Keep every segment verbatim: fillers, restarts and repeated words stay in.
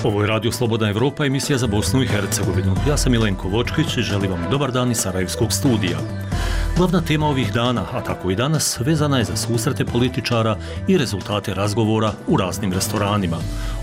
Ovo je Radio Slobodna Evropa, emisija za Bosnu i Hercegovinu. Ja sam Milenko Vočkić i želim vam dobar dan iz Sarajevskog studija. Glavna tema ovih dana, a tako i danas, vezana je za susrete političara i rezultate razgovora u raznim restoranima.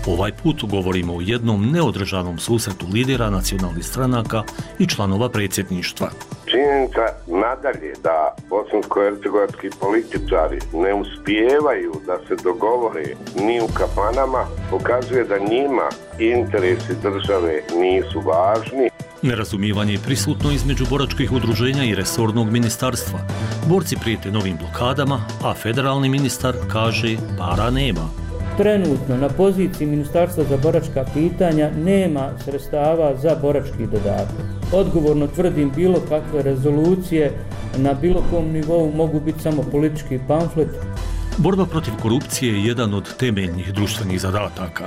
Ovaj put govorimo o jednom neodržanom susretu lidera nacionalnih stranaka i članova predsjedništva. Činjenica nadalje da bosansko-hercegovački političari ne uspijevaju da se dogovore ni u kafanama pokazuje da njima interesi države nisu važni. Nerazumijevanje je prisutno između boračkih udruženja i resornog ministarstva. Borci prijete novim blokadama, a federalni ministar kaže para nema. Trenutno na poziciji Ministarstva za boračka pitanja nema sredstava za borački dodatak. Odgovorno tvrdim, bilo kakve rezolucije na bilo kom nivou mogu biti samo politički pamflet. Borba protiv korupcije je jedan od temeljnih društvenih zadataka.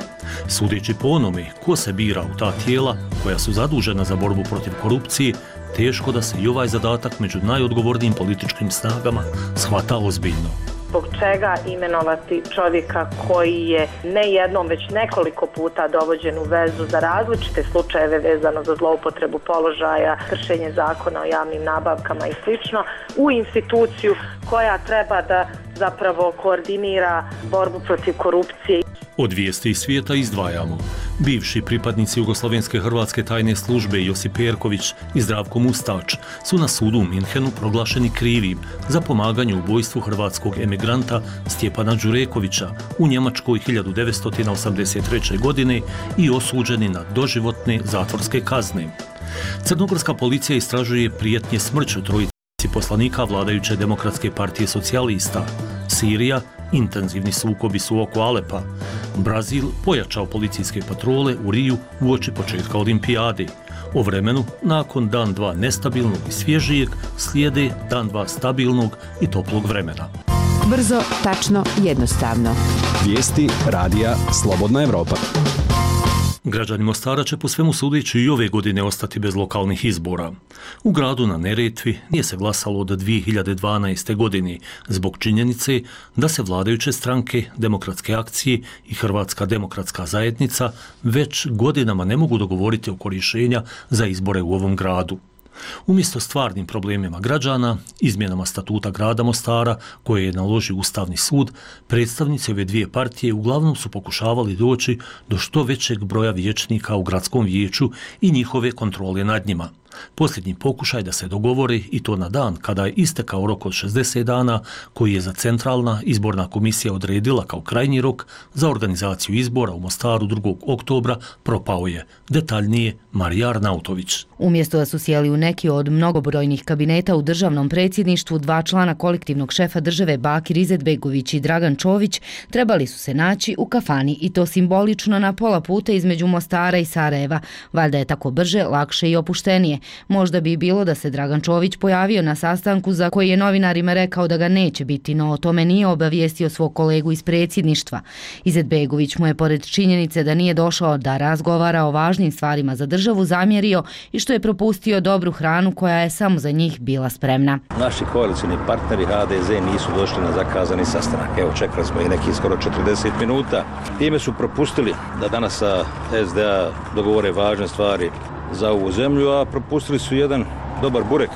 Sudeći po onome ko se bira u ta tijela koja su zadužena za borbu protiv korupcije, teško da se i ovaj zadatak među najodgovornijim političkim snagama shvata ozbiljno. Zbog čega imenovati čovjeka koji je ne jednom, već nekoliko puta dovođen u vezu za različite slučajeve vezano za zloupotrebu položaja, kršenje zakona o javnim nabavkama i slično, u instituciju koja treba da zapravo koordinira borbu protiv korupcije. Od vijesti iz svijeta izdvajamo. Bivši pripadnici Jugoslovenske hrvatske tajne službe Josip Perković i Zdravko Mustač su na sudu u Minhenu proglašeni krivim za pomaganje u ubojstvu hrvatskog emigranta Stjepana Đurekovića u Njemačkoj hiljadu devetsto osamdeset treće. godine i osuđeni na doživotne zatvorske kazne. Crnogorska policija istražuje prijetnje smrću trojice poslanika vladajuće Demokratske partije socijalista. Sirija, intenzivni sukobi su oko Alepa. Brazil pojačao policijske patrole u Riju uoči početka olimpijade. O vremenu, nakon dan dva nestabilnog i svježijeg, slijede dan dva stabilnog i toplog vremena. Brzo, tačno, jednostavno. Vijesti radija Slobodna Evropa. Građani Mostara će po svemu sudeći i ove godine ostati bez lokalnih izbora. U gradu na Neretvi nije se glasalo od dvije hiljade dvanaeste. godine zbog činjenice da se vladajuće stranke, Demokratske akcije i Hrvatska demokratska zajednica već godinama ne mogu dogovoriti oko rješenja za izbore u ovom gradu. Umjesto stvarnim problemima građana, izmjenama statuta grada Mostara, koje je naložio Ustavni sud, predstavnici ove dvije partije uglavnom su pokušavali doći do što većeg broja vijećnika u gradskom vijeću i njihove kontrole nad njima. Posljednji pokušaj da se dogovori, i to na dan kada je istekao rok od šezdeset dana koji je za Centralna izborna komisija odredila kao krajnji rok za organizaciju izbora u Mostaru drugog oktobra, propao je. Detaljnije Marija Arnautović. Umjesto da su sjeli u neki od mnogobrojnih kabineta u državnom predsjedništvu, dva člana kolektivnog šefa države Bakir Izetbegović i Dragan Čović trebali su se naći u kafani, i to simbolično na pola puta između Mostara i Sarajeva. Valjda je tako brže, lakše i opuštenije. Možda bi bilo da se Dragan Čović pojavio na sastanku za koji je novinarima rekao da ga neće biti, no o tome nije obavijestio svog kolegu iz predsjedništva. Izetbegović mu je, pored činjenice da nije došao da razgovara o važnim stvarima za državu, zamjerio i što je propustio dobru hranu koja je samo za njih bila spremna. Naši koalicijni partneri H D Z nisu došli na zakazani sastanak. Evo, čekali smo i neki skoro četrdeset minuta. Time su propustili da danas sa S D A dogovore važne stvari za ovu zemlju, a propustili su jedan dobar burek.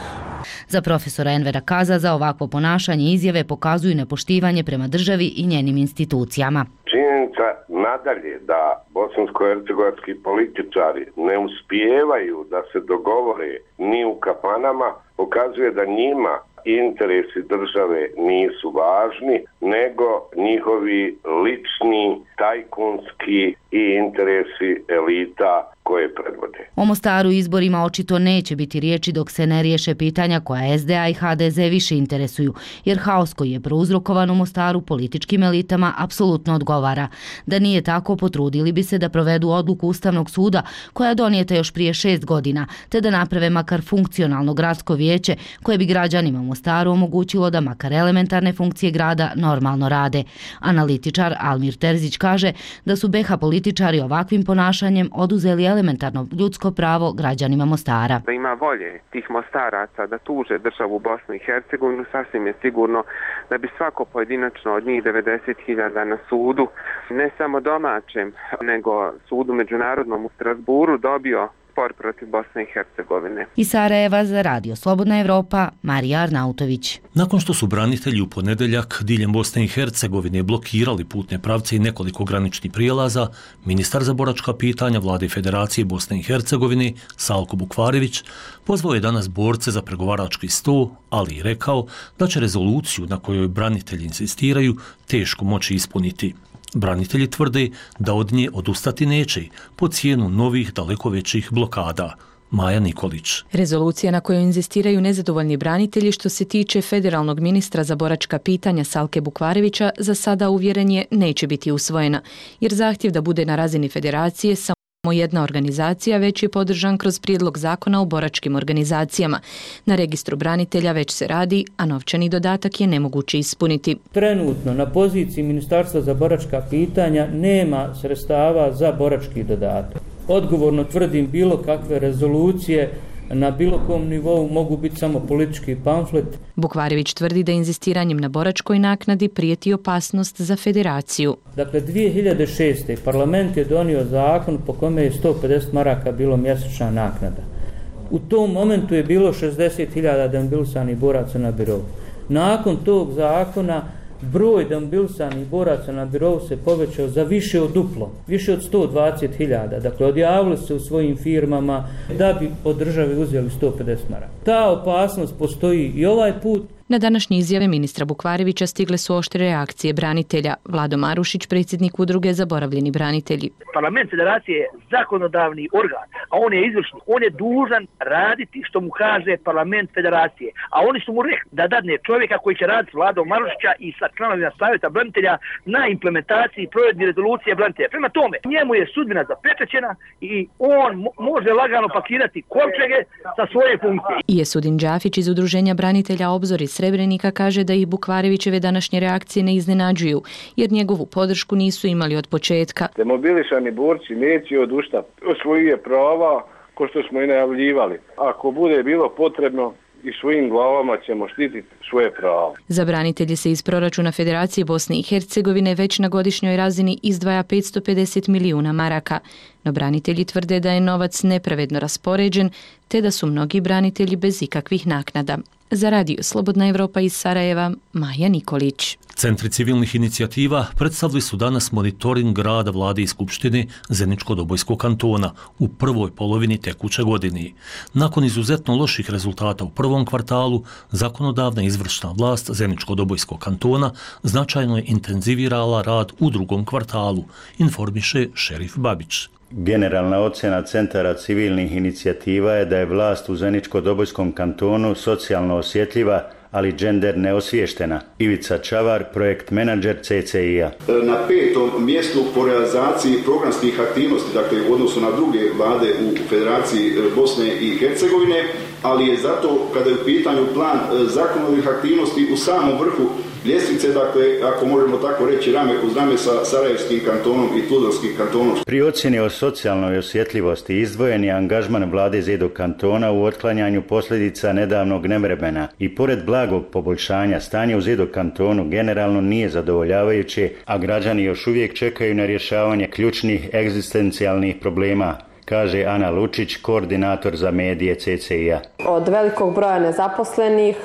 Za profesora Envera Kazaza ovakvo ponašanje i izjave pokazuju nepoštivanje prema državi i njenim institucijama. Činjenica nadalje da bosansko-hercegovački političari ne uspijevaju da se dogovore ni u kafanama pokazuje da njima interesi države nisu važni, nego njihovi lični, tajkunski i interesi elita koje predvode. O Mostaru izborima očito neće biti riječi dok se ne riješe pitanja koja S D A i H D Z više interesuju, jer haos koji je prouzrokovan u Mostaru političkim elitama apsolutno odgovara. Da nije tako, potrudili bi se da provedu odluku Ustavnog suda koja je donijeta još prije šest godina, te da naprave makar funkcionalno gradsko vijeće koje bi građanima u Mostaru omogućilo da makar elementarne funkcije grada normalno rade. Analitičar Almir Terzić kaže da su B iH političari ovakvim ponašanjem oduzeli elementarno ljudsko pravo građanima Mostara. Da ima volje tih Mostaraca da tuže državu Bosnu i Hercegovinu, sasvim je sigurno da bi svako pojedinačno od njih devedeset hiljada na sudu, ne samo domaćem, nego sudu međunarodnom u Strasburu dobio spor protiv Bosne i Hercegovine. Iz Sarajeva za Radio Slobodna Evropa, Marija Arnautović. Nakon što su branitelji u ponedeljak diljem Bosne i Hercegovine blokirali putne pravce i nekoliko graničnih prijelaza, ministar za boračka pitanja Vlade Federacije Bosne i Hercegovine Salko Bukvarević pozvao je danas borce za pregovarački sto, ali i rekao da će rezoluciju na kojoj branitelji insistiraju teško moći ispuniti. Branitelji tvrde da od nje odustati neće po cijenu novih daleko većih blokada. Maja Nikolić. Rezolucija na kojoj inzistiraju nezadovoljni branitelji što se tiče federalnog ministra za boračka pitanja Salke Bukvarevića za sada uvjeren je neće biti usvojena, jer zahtjev da bude na razini federacije samo jedna organizacija već je podržan kroz prijedlog zakona o boračkim organizacijama. Na registru branitelja već se radi, a novčani dodatak je nemoguće ispuniti. Trenutno na poziciji Ministarstva za boračka pitanja nema sredstava za borački dodatak. Odgovorno tvrdim bilo kakve rezolucije na bilo kom nivou mogu biti samo politički pamflet. Bukvarević tvrdi da inzistiranjem na boračkoj naknadi prijeti opasnost za federaciju. Dakle, dvije hiljade šeste. parlament je donio zakon po kome je sto pedeset maraka bilo mjesečna naknada. U tom momentu je bilo šezdeset hiljada demobilisanih boraca na birou. Nakon tog zakona broj demobilisanih boraca na birou se povećao za više od duplo, više od sto dvadeset hiljada. Dakle, odjavili se u svojim firmama da bi od države uzeli sto pedeset maraka. Ta opasnost postoji i ovaj put. Na današnje izjave ministra Bukvarevića stigle su oštre reakcije branitelja. Vlado Marušić, predsjednik udruge Zaboravljeni branitelji. Parlament federacije je zakonodavni organ, a on je izvršni. On je dužan raditi što mu kaže parlament federacije. A oni su mu rekli da dadne čovjeka koji će raditi s Vladom Marušića i sa članovima savjeta branitelja na implementaciji provedbi rezolucije branitelja. Prema tome, njemu je sudbina zapečaćena i on može lagano pakirati kovčege sa svoje funkcije. I Esudin Đafić iz udruženja branitelja Obzor iz Srebrenika kaže da ih Bukvarevićeve današnje reakcije ne iznenađuju, jer njegovu podršku nisu imali od početka. Demobilisani borci neće odustati od svojih prava, ko što smo i najavljivali. Ako bude bilo potrebno, i svojim glavama ćemo štititi svoje pravo. Za branitelje se iz proračuna Federacije Bosne i Hercegovine već na godišnjoj razini izdvaja petsto pedeset milijuna maraka. No branitelji tvrde da je novac nepravedno raspoređen, te da su mnogi branitelji bez ikakvih naknada. Za Radio Slobodna Evropa iz Sarajeva, Maja Nikolić. Centri civilnih inicijativa predstavili su danas monitoring rada Vlade i Skupštine Zeničko-Dobojskog kantona u prvoj polovini tekuće godine. Nakon izuzetno loših rezultata u prvom kvartalu, zakonodavna izvršna vlast Zeničko-Dobojskog kantona značajno je intenzivirala rad u drugom kvartalu, informiše Šerif Babić. Generalna ocjena centara civilnih inicijativa je da je vlast u Zeničko-Dobojskom kantonu socijalno osjetljiva, ali džender neosviještena. Ivica Čavar, projekt menadžer C C I-a. Na petom mjestu po realizaciji programskih aktivnosti, dakle u odnosu na druge vlade u Federaciji Bosne i Hercegovine, ali je zato kada je u pitanju plan zakonodavnih aktivnosti u samom vrhu ljestvice, dakle, ako možemo tako reći, rame uz rame sa Sarajevskim kantonom i Tuzlanskim kantonom. Pri ocjeni o socijalnoj osjetljivosti izdvojen je angažman vlade Zedo kantona u otklanjanju posljedica nedavnog nevremena i pored blagog poboljšanja stanje u Zedo kantonu generalno nije zadovoljavajuće, a građani još uvijek čekaju na rješavanje ključnih egzistencijalnih problema, kaže Ana Lučić, koordinator za medije C C I-a. Od velikog broja nezaposlenih,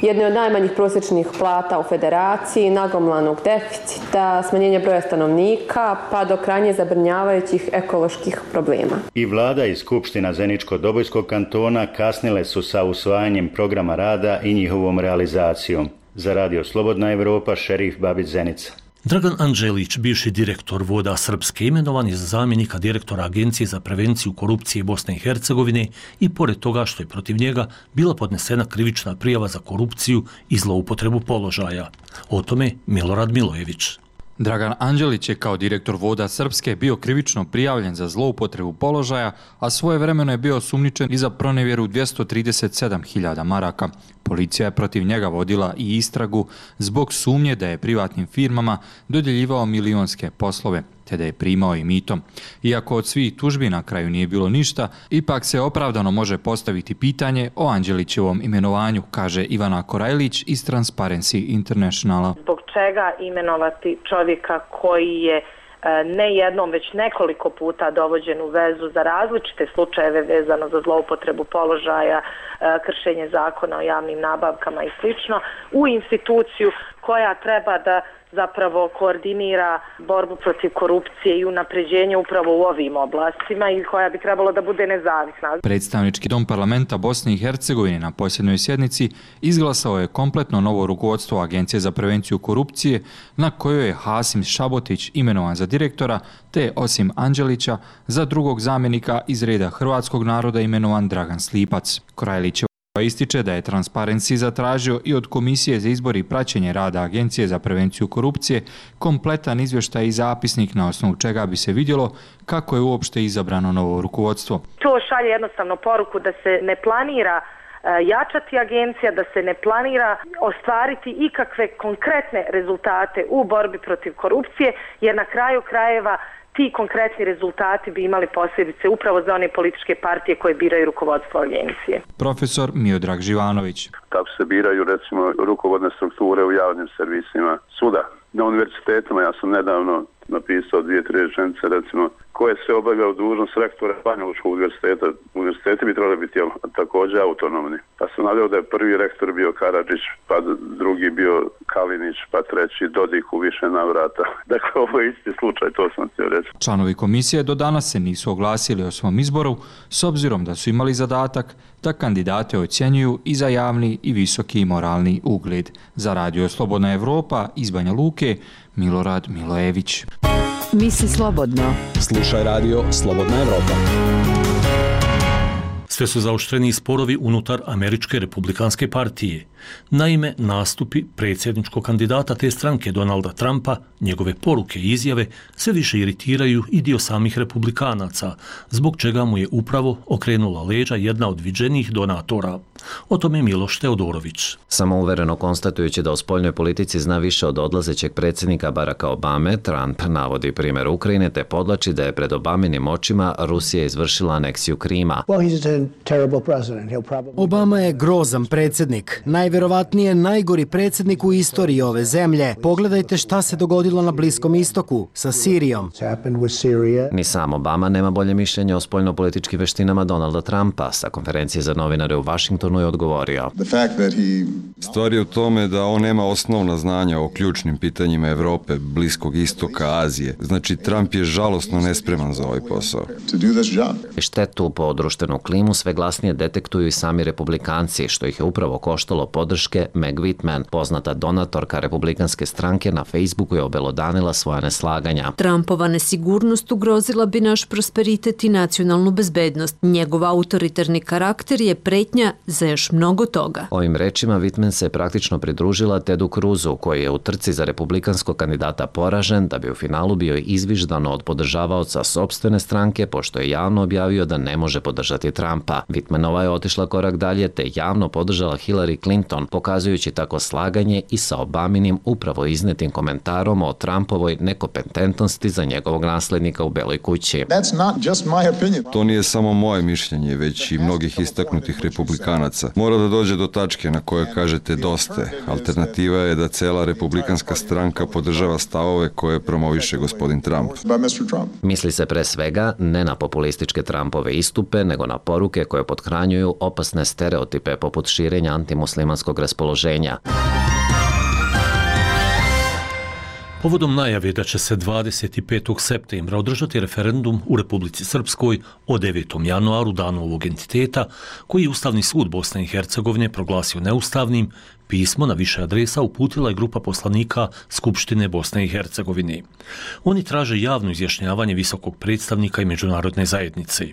jedne od najmanjih prosječnih plata u federaciji, nagomilanog deficita, smanjenja broja stanovnika, pa do krajnje zabrinjavajućih ekoloških problema. I vlada i Skupština Zeničko-Dobojskog kantona kasnile su sa usvajanjem programa rada i njihovom realizacijom. Za Radio Slobodna Evropa, Šerif Babić, Zenica. Dragan Anđelić, bivši direktor Voda Srpske, imenovan je za zamjenika direktora Agencije za prevenciju korupcije Bosne i Hercegovine i pored toga što je protiv njega bila podnesena krivična prijava za korupciju i zloupotrebu položaja. O tome Milorad Milojević. Dragan Anđelić je kao direktor Voda Srpske bio krivično prijavljen za zloupotrebu položaja, a svojevremeno je bio osumnjičen i za pronevjeru dvjesto trideset sedam hiljada maraka. Policija je protiv njega vodila i istragu zbog sumnje da je privatnim firmama dodjeljivao milionske poslove, te da je primao i mito. Iako od svih tužbi na kraju nije bilo ništa, ipak se opravdano može postaviti pitanje o Anđelićevom imenovanju, kaže Ivana Korajlić iz Transparency Internationala. Zbog čega imenovati čovjeka koji je ne jednom, već nekoliko puta dovođen u vezu za različite slučajeve vezano za zloupotrebu položaja, kršenje zakona o javnim nabavkama i slično, u instituciju koja treba da zapravo koordinira borbu protiv korupcije i unapređenje upravo u ovim oblastima i koja bi trebalo da bude nezavisna. Predstavnički dom parlamenta Bosne i Hercegovine na posljednjoj sjednici izglasao je kompletno novo rukovodstvo Agencije za prevenciju korupcije, na kojoj je Hasim Šabotić imenovan za direktora, te osim Anđelića za drugog zamjenika iz reda hrvatskog naroda imenovan Dragan Slipac. Korajlić ističe da je Transparency zatražio i od Komisije za izbor i praćenje rada Agencije za prevenciju korupcije kompletan izvještaj i zapisnik na osnovu čega bi se vidjelo kako je uopšte izabrano novo rukovodstvo. To šalje jednostavno poruku da se ne planira jačati agencija, da se ne planira ostvariti ikakve konkretne rezultate u borbi protiv korupcije, jer na kraju krajeva ti konkretni rezultati bi imali posljedice upravo za one političke partije koje biraju rukovodstvo agencije. Profesor Miodrag Živanović. Kako se biraju recimo rukovodne strukture u javnim servisima suda. Na univerzitetima ja sam nedavno napisao dvije, tri rečenice recimo koje se obavljaju dužnost rektora Banjalučkog univerziteta. Univerziteti bi trebali biti također autonomni. Pa sam naveo da je prvi rektor bio Karadžić, pa drugi bio Kalinić, pa treći Dodik u više navrata. Dakle, ovo je isti slučaj, to sam htio reći. Članovi komisije do danas se nisu oglasili o svom izboru, s obzirom da su imali zadatak da kandidate ocjenjuju i za javni i visoki moralni ugled. Za Radio Slobodna Evropa iz Banja Luke, Milorad Milojević. Misli slobodno. Slušaj Radio Slobodna Evropa. Sve su zaoštreni sporovi unutar Američke republikanske partije. Naime, nastupi predsjedničkog kandidata te stranke Donalda Trumpa, njegove poruke i izjave sve više iritiraju i dio samih republikanaca, zbog čega mu je upravo okrenula leđa jedna od viđenijih donatora. O tome Miloš Teodorović. Samouvereno konstatujući da o spoljnoj politici zna više od odlazećeg predsjednika Baracka Obame, Trump navodi primjer Ukrajine te podlači da je pred Obaminim očima Rusija izvršila aneksiju Krima. Obama je grozan predsjednik, najvjerovatnije najgori predsjednik u istoriji ove zemlje. Pogledajte šta se dogodilo na Bliskom istoku sa Sirijom. Ni sam Obama nema bolje mišljenje o spoljnopolitičkim veštinama Donalda Trumpa. Sa konferencije za novinare u Washingtonu je odgovorio. Stvar je u tome da on nema osnovna znanja o ključnim pitanjima Evrope, Bliskog istoka, Azije. Znači, Trump je žalosno nespreman za ovaj posao. Štetu po društvenu klimu sve glasnije detektuju i sami republikanci, što ih je upravo koštalo podrške. Meg Whitman, poznata donatorka republikanske stranke, na Facebooku je obelodanila svoja neslaganja. Trumpova nesigurnost ugrozila bi naš prosperitet i nacionalnu bezbednost. Njegov autoritarni karakter je pretnja za još mnogo toga. Ovim rečima Whitman se praktično pridružila Tedu Cruzu, koji je u trci za republikanskog kandidata poražen, da bi u finalu bio izviždano od podržavaoca sopstvene stranke, pošto je javno objavio da ne može podržati Trumpa. Whitmanova je otišla korak dalje te javno podržala Hillary Clinton, pokazujući tako slaganje i sa Obaminim upravo iznetim komentarom o Trumpovoj nekompetentnosti za njegovog naslednika u Beloj kući. To nije samo moje mišljenje, već i mnogih istaknutih republikanaca. Mora da dođe do tačke na kojoj kažete dosta. Alternativa je da cela republikanska stranka podržava stavove koje promoviše gospodin Trump. Misli se pre svega ne na populističke Trumpove istupe, nego na poruke koje pothranjuju opasne stereotipe poput širenja antimuslimanskog raspoloženja. Povodom najave da će se dvadeset petog septembra održati referendum u Republici Srpskoj o devetom januaru, danu ovog entiteta, koji je Ustavni sud Bosne i Hercegovine proglasio neustavnim, pismo na više adresa uputila je grupa poslanika Skupštine Bosne i Hercegovine. Oni traže javno izjašnjavanje visokog predstavnika i međunarodne zajednice.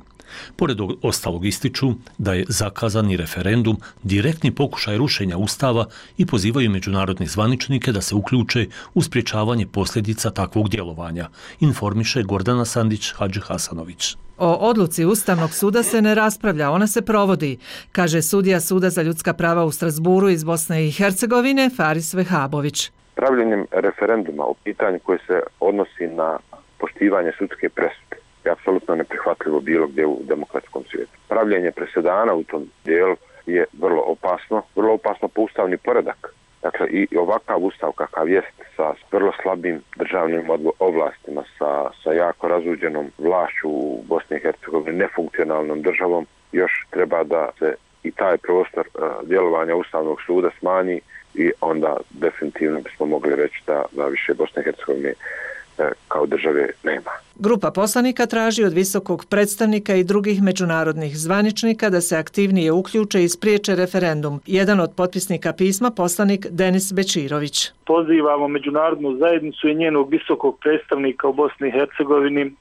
Pored ostalog ističu da je zakazani referendum direktni pokušaj rušenja Ustava i pozivaju međunarodne zvaničnike da se uključe u sprječavanje posljedica takvog djelovanja, informiše Gordana Sandić Hadži Hasanović. O odluci Ustavnog suda se ne raspravlja, ona se provodi, kaže sudija Suda za ljudska prava u Strasburu iz Bosne i Hercegovine Faris Vehabović. Pravljenjem referenduma o pitanju koje se odnosi na poštivanje sudske presude je apsolutno neprihvatljivo bilo gdje u demokratskom svijetu. Pravljenje presedana u tom dijelu je vrlo opasno, vrlo opasno po ustavni poredak. Dakle, i ovakav ustav kakav jest sa vrlo slabim državnim ovlastima, sa, sa jako razuđenom vlašću u Bosni i Hercegovini, nefunkcionalnom državom, još treba da se i taj prostor uh, djelovanja Ustavnog suda smanji i onda definitivno bismo mogli reći da, da više Bosne i Hercegovine uh, kao države nema. Grupa poslanika traži od visokog predstavnika i drugih međunarodnih zvaničnika da se aktivnije uključe i spriječe referendum. Jedan od potpisnika pisma poslanik Denis Bečirović. Pozivamo međunarodnu zajednicu i njenog visokog predstavnika u Bosni i Hercegovini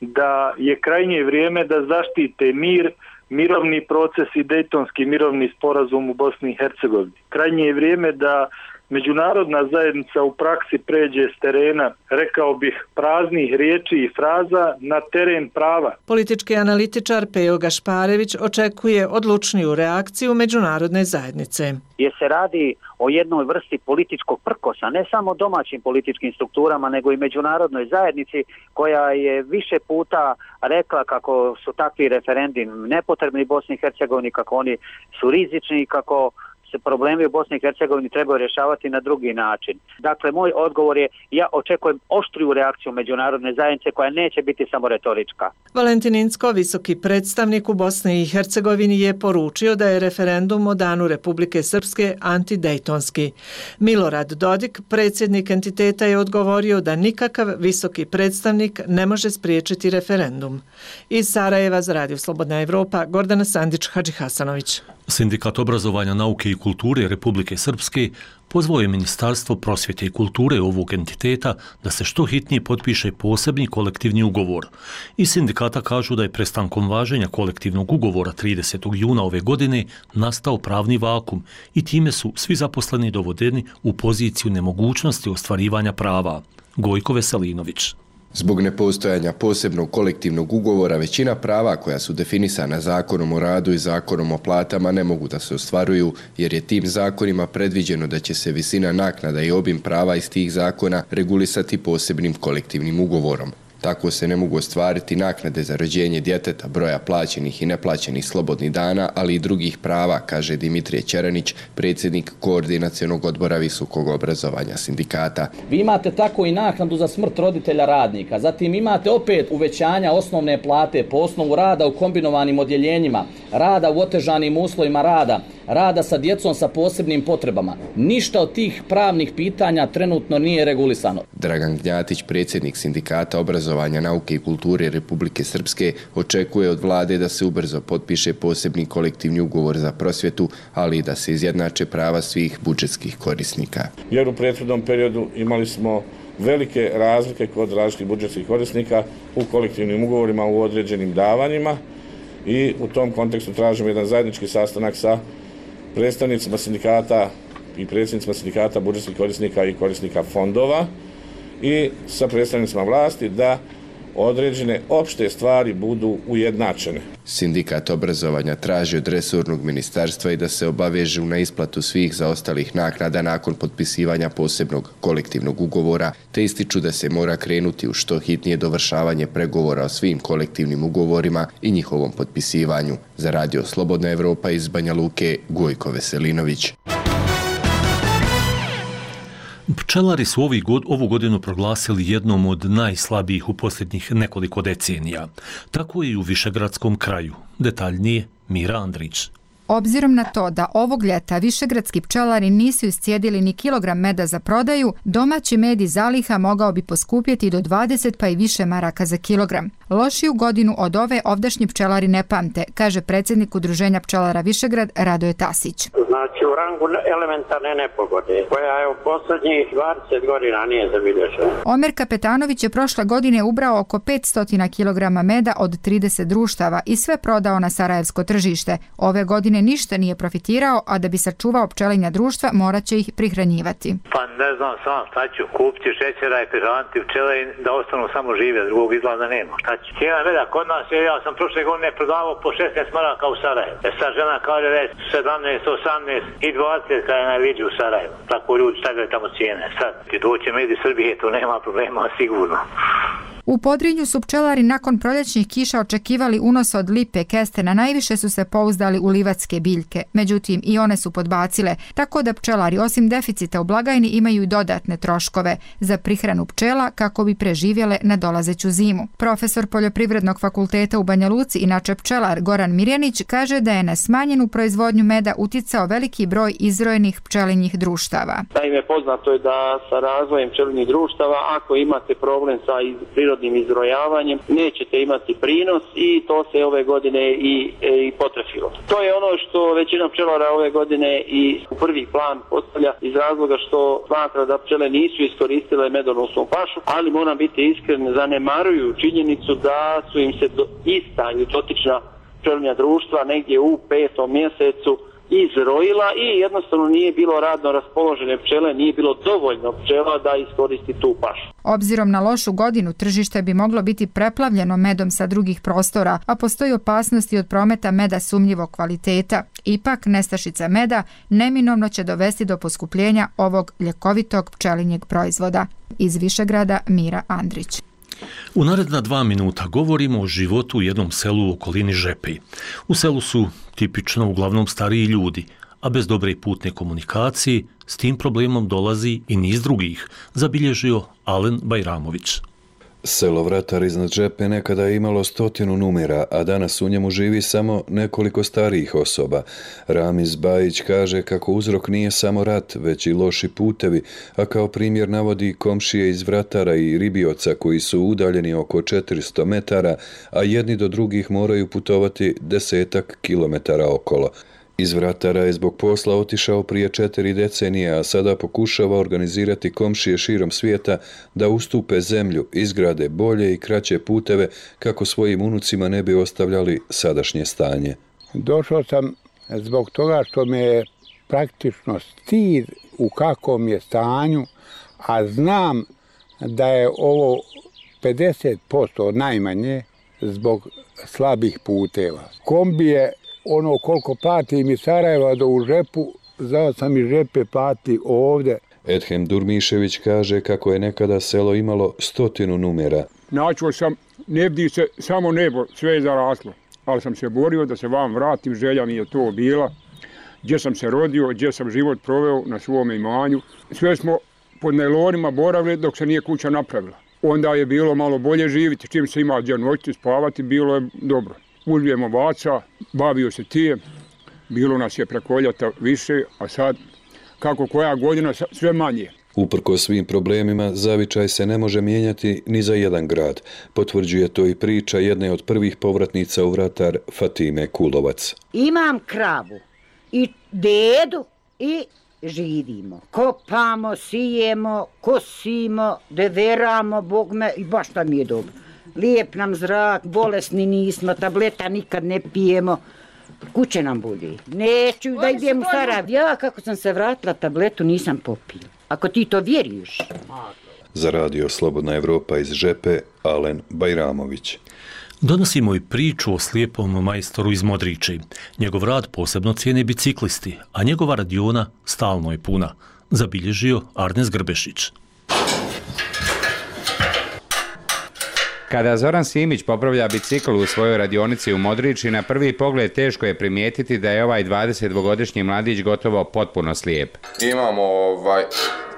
da je krajnje vrijeme da zaštite mir, mirovni proces i Dejtonski mirovni sporazum u Bosni i Hercegovini. Krajnje je vrijeme da međunarodna zajednica u praksi pređe s terena, rekao bih, praznih riječi i fraza na teren prava. Politički analitičar Pejo Gašparević očekuje odlučniju reakciju međunarodne zajednice. Jer se radi o jednoj vrsti političkog prkosa, ne samo domaćim političkim strukturama, nego i međunarodnoj zajednici koja je više puta rekla kako su takvi referendumi nepotrebni Bosni i Hercegovini, kako oni su rizični, kako se problemi u Bosni i Hercegovini trebaju rješavati na drugi način. Dakle, moj odgovor je, ja očekujem oštriju reakciju međunarodne zajednice koja neće biti samo retorička. Valentin Incko, visoki predstavnik u Bosni i Hercegovini, je poručio da je referendum o danu Republike Srpske antidejtonski. Milorad Dodik, predsjednik entiteta, je odgovorio da nikakav visoki predstavnik ne može spriječiti referendum. Iz Sarajeva za Radio Slobodna Evropa, Gordana Sandić-Hadžihasanović. Sindikat obrazovanja, nauke i kulture Republike Srpske pozvao je Ministarstvo prosvjete i kulture ovog entiteta da se što hitnije potpiše posebni kolektivni ugovor. Iz sindikata kažu da je prestankom važenja kolektivnog ugovora tridesetog juna ove godine nastao pravni vakum i time su svi zaposleni dovodeni u poziciju nemogućnosti ostvarivanja prava. Gojko Veselinović. Zbog nepostojanja posebnog kolektivnog ugovora, većina prava koja su definisana Zakonom o radu i Zakonom o platama ne mogu da se ostvaruju, jer je tim zakonima predviđeno da će se visina naknada i obim prava iz tih zakona regulisati posebnim kolektivnim ugovorom. Tako se ne mogu ostvariti naknade za rođenje djeteta, broja plaćenih i neplaćenih slobodnih dana, ali i drugih prava, kaže Dimitrije Ćeranić, predsjednik Koordinacionog odbora visokog obrazovanja sindikata. Vi imate tako i naknadu za smrt roditelja radnika, zatim imate opet uvećanja osnovne plate po osnovu rada u kombinovanim odjeljenjima, rada u otežanim uslovima rada, rada sa djecom sa posebnim potrebama. Ništa od tih pravnih pitanja trenutno nije regulisano. Dragan Gnjatić, predsjednik sindikata obrazovanja, nauke i kulture Republike Srpske, očekuje od vlade da se ubrzo potpiše posebni kolektivni ugovor za prosvjetu, ali i da se izjednače prava svih budžetskih korisnika. Jer u prethodnom periodu imali smo velike razlike kod različitih budžetskih korisnika u kolektivnim ugovorima u određenim davanjima i u tom kontekstu tražimo jedan zajednički sastanak sa predstavnicima sindikata i predsjednicima sindikata budžetskih korisnika i korisnika fondova i sa predstavnicima vlasti da određene opšte stvari budu ujednačene. Sindikat obrazovanja traži od resornog ministarstva i da se obavežu na isplatu svih zaostalih naknada nakon potpisivanja posebnog kolektivnog ugovora, te ističu da se mora krenuti u što hitnije dovršavanje pregovora o svim kolektivnim ugovorima i njihovom potpisivanju. Za Radio Slobodna Evropa iz Banja Luke, Gojko Veselinović. Pčelari su ovi god, ovu godinu proglasili jednom od najslabijih u posljednjih nekoliko decenija. Tako je i u Višegradskom kraju. Detaljnije Mira Andrić. Obzirom na to da ovog ljeta višegradski pčelari nisu iscijedili ni kilogram meda za prodaju, domaći med iz zaliha mogao bi poskupjeti do dvadeset pa i više maraka za kilogram. Lošiju godinu od ove ovdašnji pčelari ne pamte, kaže predsjednik Udruženja pčelara Višegrad Radoje Tasić. Znači u rangu elementarne nepogode, koja je u posljednjih dvadeset godina nije zabilježena. Omer Kapetanović je prošle godine ubrao oko petsto kilograma meda od trideset društava i sve prodao na sarajevsko tržište. Ove godine ništa nije profitirao, a da bi sačuvao pčelinja društva morat će ih prihranjivati. Pa ne znam sam, šta ću kupiti šećera i prihraniti pčele da ostanu samo žive, drugog izlaza nema. Šta ću? Cijena meda kod nas je, ja sam prošle godine prodavao po šesnaest maraka u Sarajevu. E sad žena kaže već sedamnaest, osamnaest i dvadeset kada je najviđu u Sarajevu. Tako ljudi stavljaju tamo cijene. Sad ti doće med iz Srbije, to nema problema sigurno. U Podrinju su pčelari nakon proljećnih kiša očekivali unos od lipe kestena, najviše su se pouzdali u livatske biljke. Međutim, i one su podbacile, tako da pčelari osim deficita u blagajni imaju i dodatne troškove za prihranu pčela kako bi preživjele nadolazeću zimu. Profesor Poljoprivrednog fakulteta u Banja Luci, inače pčelar Goran Mirjanić, kaže da je na smanjenu proizvodnju meda uticao veliki broj izrojenih pčelinjih društava. Naime, poznato je da sa razvojem pčelinjih društava, ako imate problem sa iz, prirodnim izrojavanjem, nećete imati prinos i to se ove godine i, e, i potrefilo. To je ono što većina pčelara ove godine i u prvi plan postavlja iz razloga što smatra da pčele nisu iskoristile medonosnu pašu, ali moram biti iskren, zanemaruju činjenicu da su im se do, ista ili dotična pčelinja društva negdje u petom mjesecu izrojila i jednostavno nije bilo radno raspoložene pčele, nije bilo dovoljno pčela da iskoristi tu pašu. Obzirom na lošu godinu, tržište bi moglo biti preplavljeno medom sa drugih prostora, a postoji opasnosti od prometa meda sumnjivog kvaliteta. Ipak, nestašica meda neminovno će dovesti do poskupljenja ovog ljekovitog pčelinjeg proizvoda. Iz Višegrada, Mira Andrić. U naredna dva minuta govorimo o životu u jednom selu u okolini Žepi. U selu su tipično uglavnom stariji ljudi, a bez dobre putne komunikacije s tim problemom dolazi i niz drugih, zabilježio Alen Bajramović. Selo Vratar iznad Žepe nekada je imalo stotinu numera, a danas u njemu živi samo nekoliko starijih osoba. Ramiz Bajić kaže kako uzrok nije samo rat, već i loši putevi, a kao primjer navodi komšije iz Vratara i Ribioca koji su udaljeni oko četiristo metara, a jedni do drugih moraju putovati desetak kilometara okolo. Iz Vratara je zbog posla otišao prije četiri decenije, a sada pokušava organizirati komšije širom svijeta da ustupe zemlju, izgrade bolje i kraće puteve kako svojim unucima ne bi ostavljali sadašnje stanje. Došao sam zbog toga što me je praktično stid u kakvom je stanju, a znam da je ovo pedeset posto najmanje zbog slabih puteva. Kombije ono koliko platim iz Sarajeva do u Žepu, znao sam i Žepe plati ovdje. Edhem Durmišević kaže kako je nekada selo imalo stotinu numera. Načuo sam, ne bdi se samo nebo, sve je zaraslo, ali sam se borio da se vam vratim, želja mi je to bila. Gdje sam se rodio, gdje sam život proveo na svom imanju. Sve smo pod najlonima boravili dok se nije kuća napravila. Onda je bilo malo bolje živjeti, čim se ima gdje noći spavati, bilo je dobro. Uzvijem ovaca, bavio se tijem, bilo nas je preko ljeta više, a sad kako koja godina sve manje. Uprko svim problemima, zavičaj se ne može mijenjati ni za jedan grad. Potvrđuje to i priča jedne od prvih povratnica u Vratar, Fatime Kulovac. Imam kravu i dedu i živimo. Kopamo, sijemo, kosimo, deveramo, Bog me, i baš tam je dobro. Lijep nam zrak, bolesni nismo, tableta nikad ne pijemo. Kuće nam budi. Neću da idem u Sarajevo. Ja kako sam se vratila, tabletu nisam popila. Ako ti to vjeruješ. Za radio Slobodna Evropa iz Žepe, Alen Bajramović. Donosimo i priču o slijepom majstoru iz Modriči. Njegov rad posebno cijene biciklisti, a njegova radiona stalno je puna, zabilježio Arnes Grbešić. Kada Zoran Simić popravlja bicikl u svojoj radionici u Modriči, na prvi pogled teško je primijetiti da je ovaj dvadesetdvogodišnji mladić gotovo potpuno slijep. Imamo ovaj,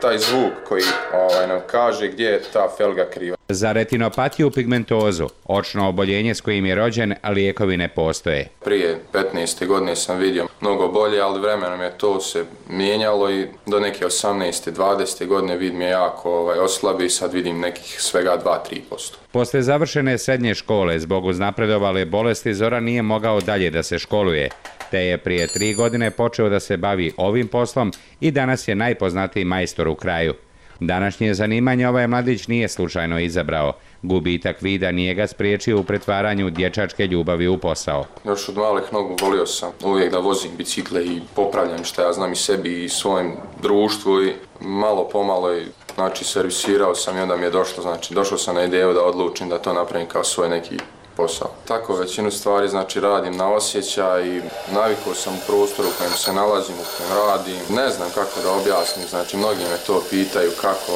taj zvuk koji ovaj, nam kaže gdje je ta felga kriva. Za retinopatiju pigmentozu, očno oboljenje s kojim je rođen, lijekovi ne postoje. Prije petnaeste godine sam vidio mnogo bolje, ali vremenom je to se mijenjalo i do neke osamnaeste dvadesete godine vid mi je jako ovaj, oslabi i sad vidim nekih svega dva do tri posto. Posle završene srednje škole, zbog uznapredovale bolesti, Zoran nije mogao dalje da se školuje, te je prije tri godine počeo da se bavi ovim poslom i danas je najpoznatiji majstor u kraju. Današnje zanimanje ovaj mladić nije slučajno izabrao. Gubitak vida nije ga spriječio u pretvaranju dječačke ljubavi u posao. Još od malih nogu volio sam uvijek da vozim bicikle i popravljam što ja znam i sebi i svojem društvu i malo pomalo i znači servisirao sam i onda mi je došlo, znači došao sam na ideju da odlučim da to napravim kao svoj neki posao. Tako većinu stvari znači radim na osjećaj i navikao sam u prostoru u kojem se nalazim, u kojem radim. Ne znam kako da objasnim, znači mnogi me to pitaju kako,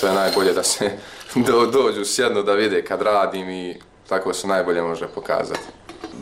to je najbolje da se do, dođu, sjednu da vide kad radim i tako se najbolje može pokazati.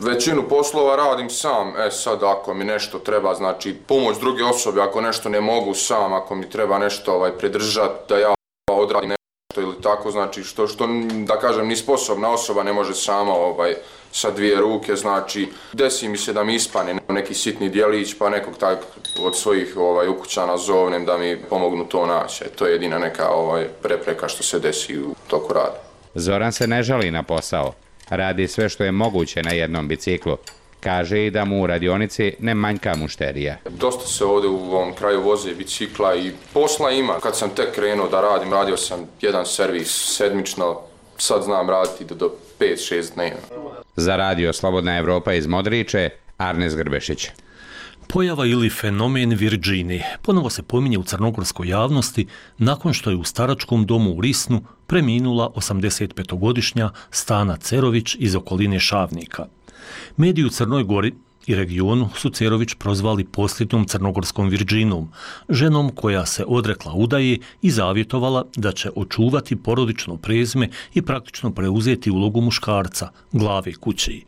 Većinu poslova radim sam, e sad ako mi nešto treba, znači pomoć druge osobe, ako nešto ne mogu sam, ako mi treba nešto ovaj, pridržati da ja odradim nešto ili tako, znači što, što da kažem ni sposobna osoba ne može sama ovaj, sa dvije ruke, znači desi mi se da mi ispane neki sitni dijelić pa nekog tak od svojih ovaj, ukućana zovnem da mi pomognu to naći, to je jedina neka ovaj, prepreka što se desi u toku rada. Zoran se ne žali na posao. Radi sve što je moguće na jednom biciklu. Kaže i da mu u radionici ne manjka mušterija. Dosta se ovdje u ovom kraju voze bicikla i posla ima. Kad sam tek krenuo da radim, radio sam jedan servis sedmično, sad znam raditi do, do pet šest dnevno. Za radio Slobodna Evropa iz Modriče, Arnes Grbešić. Pojava ili fenomen Virginije ponovo se pominje u crnogorskoj javnosti nakon što je u staračkom domu u Risnu preminula osamdesetpetogodišnja Stana Cerović iz okoline Šavnika. Mediji u Crnoj Gori i regionu su Cerović prozvali posljednjom crnogorskom Virginom, ženom koja se odrekla udaje i zavjetovala da će očuvati porodično prezime i praktično preuzeti ulogu muškarca, glave kući.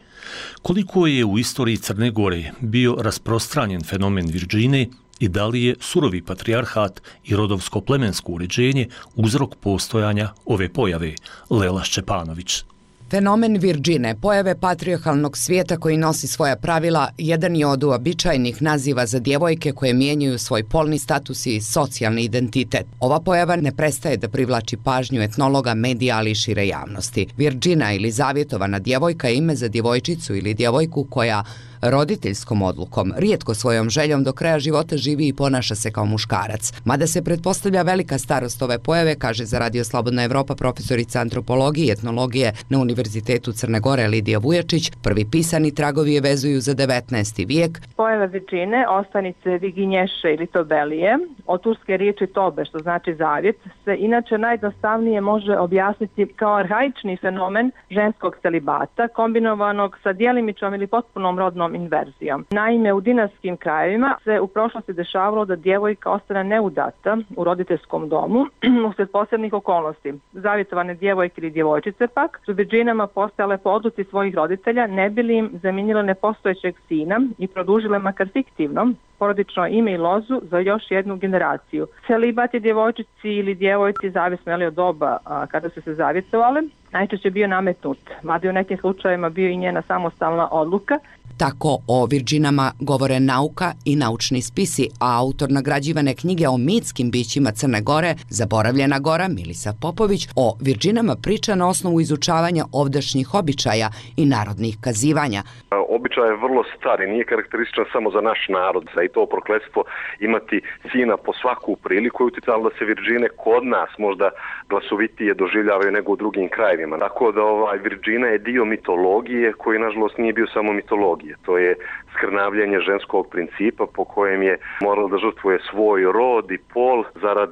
Koliko je u istoriji Crne Gore bio rasprostranjen fenomen Virginije i da li je surovi patrijarhat i rodovsko-plemensko uređenje uzrok postojanja ove pojave? Lela Šćepanović. Fenomen Virgine, pojave patrijarhalnog svijeta koji nosi svoja pravila, jedan je od uobičajenih naziva za djevojke koje mijenjaju svoj polni status i socijalni identitet. Ova pojava ne prestaje da privlači pažnju etnologa, medija, ali i šire javnosti. Virgina ili zavjetovana djevojka je ime za djevojčicu ili djevojku koja roditeljskom odlukom, rijetko svojom željom do kraja života živi i ponaša se kao muškarac. Mada se pretpostavlja velika starost ove pojave, kaže za Radio Slobodna Evropa profesorica antropologije i etnologije na Univerzitetu Crne Gore Lidija Vujačić, prvi pisani tragovi je vezuju za devetnaesti vijek. Pojava Virgine, ostanice Viginješe ili Tobelije, od turske riječi tobe, što znači zavjet, se inače najjednostavnije može objasniti kao arhaični fenomen ženskog celibata, kombinovanog sa djelimičnom ili potpunom rodnom inverzijom. Naime, u dinastskim krajevima se u prošlosti dešavalo da djevojka ostane neudata u roditeljskom domu usred posebnih okolnosti. Zavjetovane djevojke ili djevojčice pak su virginama postajale po odluci svojih roditelja, ne bili im zamijenile nepostojećeg sina i produžile makar fiktivno porodično ime i lozu za još jednu generaciju. Celibat je djevojčici ili djevojci, zavisno od doba a, kada su se zavjetovale, najčešće bio nametnut, mada u nekim slučajevima bio i njena samostalna odluka. Tako o virginama govore nauka i naučni spisi, a autor nagrađivane knjige o mitskim bićima Crne Gore, Zaboravljena gora, Milisa Popović, o virginama priča na osnovu izučavanja ovdašnjih običaja i narodnih kazivanja. Običaj je vrlo star i nije karakterističan samo za naš narod, a i to prokletstvo imati sina po svaku priliku je utjecalo da se virgine kod nas možda glasovitije doživljavaju nego u drugim krajevima. Tako da ovaj virgina je dio mitologije koji nažalost nije bio samo mitologije. To je skrnavljanje ženskog principa po kojem je morala da žrtvuje svoj rod i pol zarad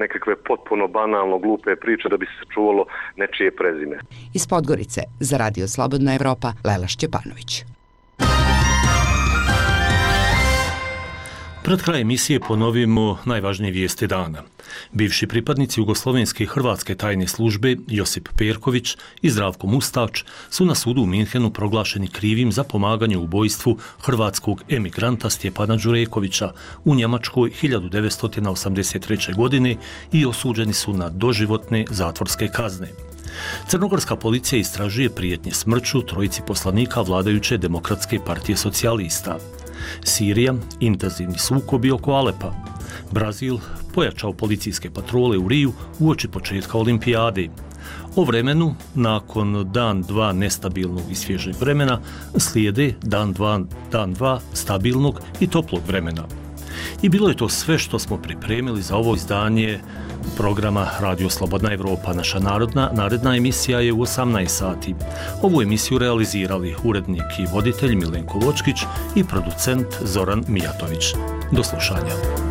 nekakve potpuno banalno glupe priče da bi se čuvalo nečije prezime. Iz Podgorice za Radio Slobodna Evropa, Lela Šćepanović. Pred kraj emisije ponovimo najvažnije vijesti dana. Bivši pripadnici Jugoslovenske i Hrvatske tajne službe Josip Perković i Zdravko Mustač su na sudu u Minhenu proglašeni krivim za pomaganje u ubojstvu hrvatskog emigranta Stjepana Đurekovića u Njemačkoj hiljadu devetsto osamdeset treće. godine i osuđeni su na doživotne zatvorske kazne. Crnogorska policija istražuje prijetnje smrću trojici poslanika vladajuće Demokratske partije socijalista. Sirija, intenzivni sukobi oko Alepa. Brazil pojačao policijske patrole u Riju uoči početka olimpijade. O vremenu, nakon dan dva nestabilnog i svježeg vremena, slijede dan dva, dan dva stabilnog i toplog vremena. I bilo je to sve što smo pripremili za ovo izdanje programa Radio Slobodna Evropa. Naša narodna naredna emisija je u osamnaest sati. Ovu emisiju realizirali urednik i voditelj Milenko Vočkić i producent Zoran Mijatović. Do slušanja.